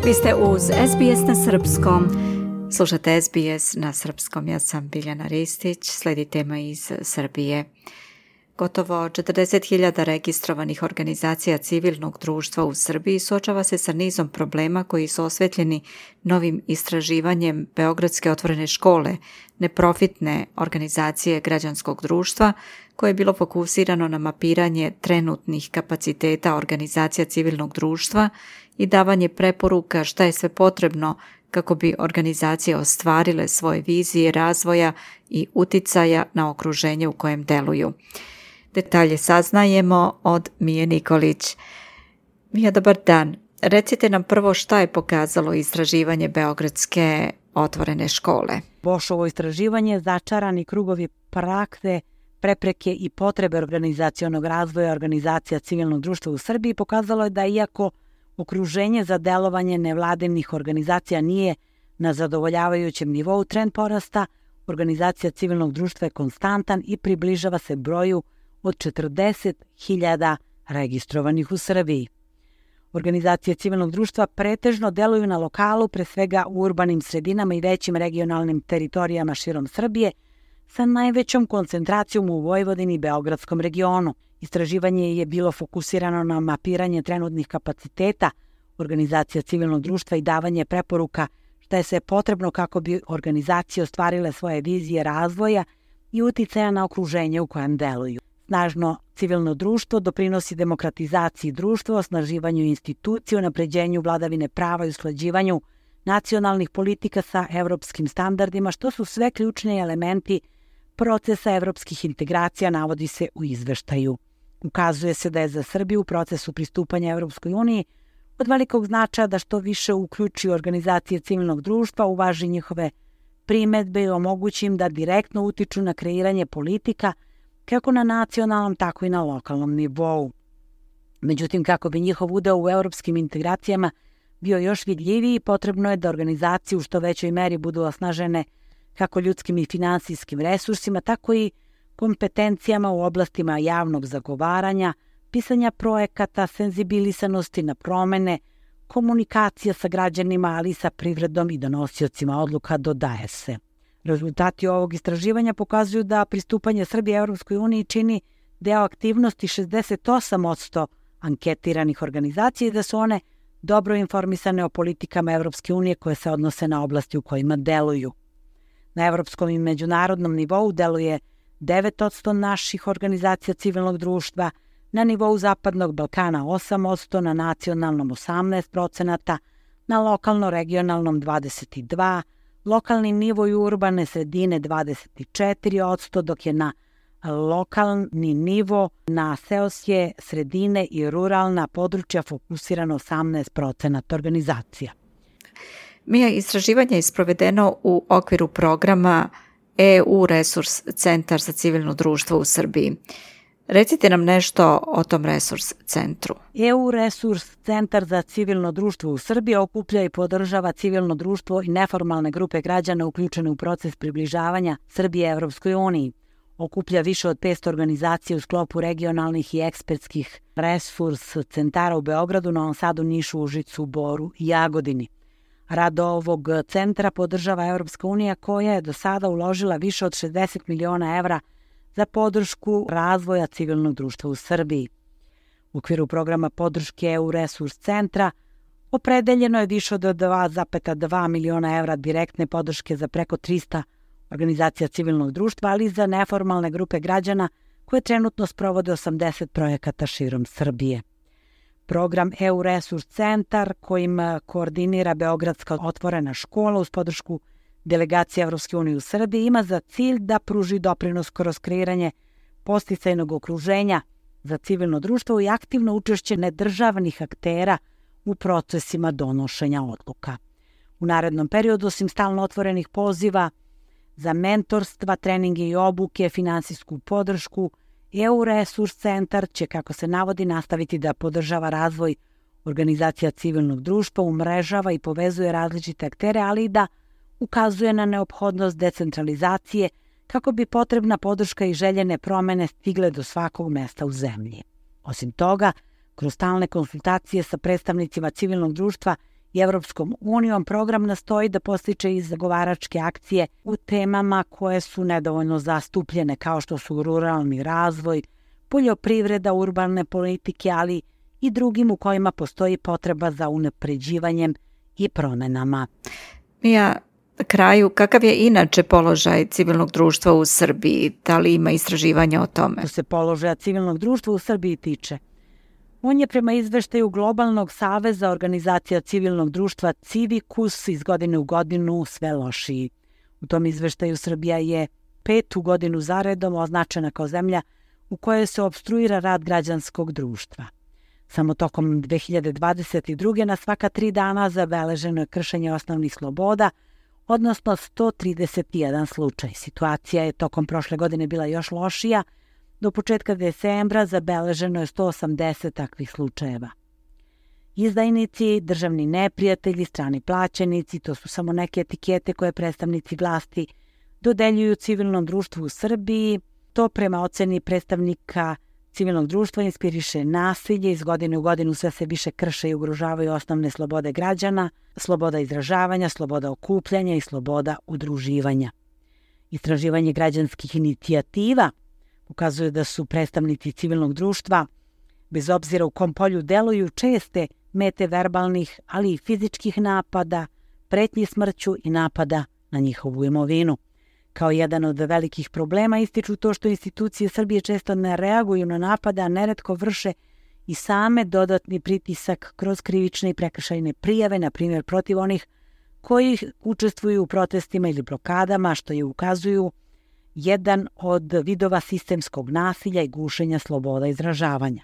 Vi ste uz SBS na srpskom. Slušate SBS na srpskom. Ja sam Biljana Ristić. Slijedi tema iz Srbije. Gotovo 40.000 registrovanih organizacija civilnog društva u Srbiji suočava se sa nizom problema koji su osvetljeni novim istraživanjem Beogradske otvorene škole, neprofitne organizacije građanskog društva, koje je bilo fokusirano na mapiranje trenutnih kapaciteta organizacija civilnog društva i davanje preporuka šta je sve potrebno kako bi organizacije ostvarile svoje vizije razvoja i uticaja na okruženje u kojem deluju. Detalje saznajemo od Mije Nikolić. Mija, dobar dan. Recite nam prvo šta je pokazalo istraživanje Beogradske otvorene škole. Bošovo istraživanje, začarani krugovi prakse, prepreke i potrebe organizacionog razvoja organizacija civilnog društva u Srbiji pokazalo je da iako okruženje za delovanje nevladinih organizacija nije na zadovoljavajućem nivou, trend porasta organizacija civilnog društva je konstantan i približava se broju od 40.000 registrovanih u Srbiji. Organizacije civilnog društva pretežno deluju na lokalu, pre svega u urbanim sredinama i većim regionalnim teritorijama širom Srbije, sa najvećom koncentracijom u Vojvodini i Beogradskom regionu. Istraživanje je bilo fokusirano na mapiranje trenutnih kapaciteta organizacija civilnog društva i davanje preporuka šta je sve potrebno kako bi organizacije ostvarile svoje vizije razvoja i uticaja na okruženje u kojem deluju. Snažno civilno društvo doprinosi demokratizaciji društva, osnaživanju institucija, unapređenju vladavine prava i usklađivanju nacionalnih politika sa evropskim standardima, što su sve ključni elementi procesa evropskih integracija, navodi se u izveštaju. Ukazuje se da je za Srbiju u procesu pristupanja Evropskoj uniji od velikog značaja da što više uključi organizacije civilnog društva, uvaži njihove primedbe i omogući im da direktno utiču na kreiranje politika kako na nacionalnom, tako i na lokalnom nivou. Međutim, kako bi njihov udeo u evropskim integracijama bio još vidljiviji, potrebno je da organizacije u što većoj meri budu osnažene kako ljudskim i finansijskim resursima, tako i kompetencijama u oblastima javnog zagovaranja, pisanja projekata, senzibilisanosti na promene, komunikacija sa građanima, ali i sa privredom i donosiocima odluka, dodaje se. Rezultati ovog istraživanja pokazuju da pristupanje Srbije Evropskoj uniji čini deo aktivnosti 68% anketiranih organizacija i da su one dobro informisane o politikama Evropske unije koje se odnose na oblasti u kojima deluju. Na evropskom i međunarodnom nivou deluje 9% naših organizacija civilnog društva, na nivou Zapadnog Balkana 8%, na nacionalnom 18%, na lokalno-regionalnom 22%, lokalni nivo i urbane sredine 24%, dok je na lokalni nivo na seoske sredine i ruralna područja fokusirano 18% organizacija. Mija, istraživanje je sprovedeno u okviru programa EU Resurs Centar za civilno društvo u Srbiji. Recite nam nešto o tom resurs centru. EU Resurs Centar za civilno društvo u Srbiji okuplja i podržava civilno društvo i neformalne grupe građana uključene u proces približavanja Srbije Evropskoj uniji. Okuplja više od 500 organizacija u sklopu regionalnih i ekspertskih resurs centara u Beogradu, Novom Sadu, Nišu, Užicu, Boru i Jagodini. Rad ovog centra podržava Evropska unija koja je do sada uložila više od 60 miliona evra za podršku razvoja civilnog društva u Srbiji. U okviru programa podrške EU Resurs Centra opredeljeno je više od 2,2 miliona evra direktne podrške za preko 300 organizacija civilnog društva, ali i za neformalne grupe građana koje trenutno sprovode 80 projekata širom Srbije. Program EU Resurs Centar, kojim koordinira Beogradska otvorena škola uz podršku delegacije Evropske unije u Srbiji, ima za cilj da pruži doprinos kroz kreiranje podsticajnog okruženja za civilno društvo i aktivno učešće nedržavnih aktera u procesima donošenja odluka. U narednom periodu, osim stalno otvorenih poziva za mentorstva, treninge i obuke, finansijsku podršku, EU Resurs Centar će, kako se navodi, nastaviti da podržava razvoj organizacija civilnog društva, umrežava i povezuje različite aktere, ali i da ukazuje na neophodnost decentralizacije kako bi potrebna podrška i željene promene stigle do svakog mesta u zemlji. Osim toga, kroz stalne konsultacije sa predstavnicima civilnog društva i Evropskom unijom, program nastoji da postiče i zagovaračke akcije u temama koje su nedovoljno zastupljene, kao što su ruralni razvoj, poljoprivreda, urbane politike, ali i drugim u kojima postoji potreba za unapređivanjem i promenama. Mija, na kraju, kakav je inače položaj civilnog društva u Srbiji? Da li ima istraživanja o tome? Što se položaja civilnog društva u Srbiji tiče, on je prema izveštaju Globalnog saveza organizacija civilnog društva Civicus iz godine u godinu sve lošiji. U tom izveštaju Srbija je 5. godinu zaredom označena kao zemlja u kojoj se opstruira rad građanskog društva. Samo tokom 2022. na svaka 3 dana zabeleženo je kršenje osnovnih sloboda, odnosno 131 slučaj. Situacija je tokom prošle godine bila još lošija. Do početka decembra zabeleženo je 180 takvih slučajeva. Izdajnici, državni neprijatelji, strani plaćenici, to su samo neke etikete koje predstavnici vlasti dodeljuju civilnom društvu u Srbiji. To prema oceni predstavnika civilnog društva inspiriše nasilje, iz godine u godinu sve se više krše i ugrožavaju osnovne slobode građana, sloboda izražavanja, sloboda okupljanja i sloboda udruživanja. Istraživanje građanskih inicijativa ukazuje da su predstavnici civilnog društva, bez obzira u kom polju deluju, česte mete verbalnih, ali i fizičkih napada, pretnji smrću i napada na njihovu imovinu. Kao jedan od velikih problema ističu to što institucije Srbije često ne reaguju na napade, a neretko vrše i same dodatni pritisak kroz krivične i prekršajne prijave, na primjer protiv onih koji učestvuju u protestima ili blokadama, što je ukazuju jedan od vidova sistemskog nasilja i gušenja sloboda izražavanja.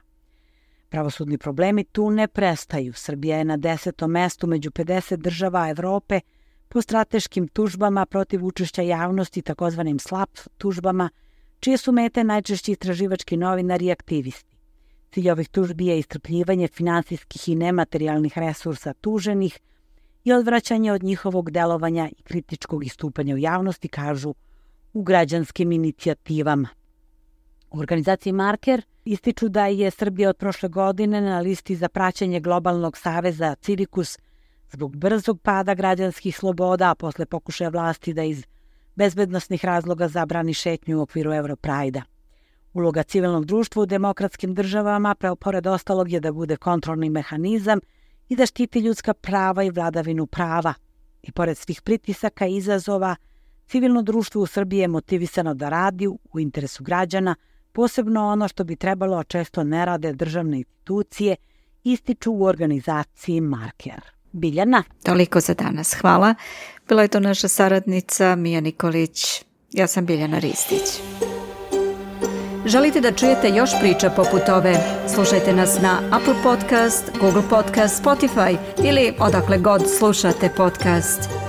Pravosudni problemi tu ne prestaju. Srbija je na 10. mestu među 50 država Evrope po strateškim tužbama protiv učešća javnosti, takozvanim SLAP tužbama, čije su mete najčešće istraživački novinari i aktivisti. Cilj ovih tužbi je iscrpljivanje finansijskih i nematerijalnih resursa tuženih i odvraćanje od njihovog delovanja i kritičkog istupanja u javnosti, kažu u građanskim inicijativama. U organizaciji Marker ističu da je Srbija od prošle godine na listi za praćenje Globalnog saveza Civicus zbog brzog pada građanskih sloboda, a posle pokušaja vlasti da iz bezbednosnih razloga zabrani šetnju u okviru Europrajda. Uloga civilnog društva u demokratskim državama, pored ostalog, je da bude kontrolni mehanizam i da štiti ljudska prava i vladavinu prava. I pored svih pritisaka i izazova, civilno društvo u Srbiji je motivisano da radi u interesu građana, posebno ono što bi trebalo, a često ne rade državne institucije, ističu u organizaciji Marker. Biljana. Toliko za danas. Hvala. Bila je to naša saradnica Mija Nikolić. Ja sam Biljana Ristić. Želite da čujete još priča poput ove? Slušajte nas na Apple Podcast, Google Podcast, Spotify ili odakle god slušate podcast.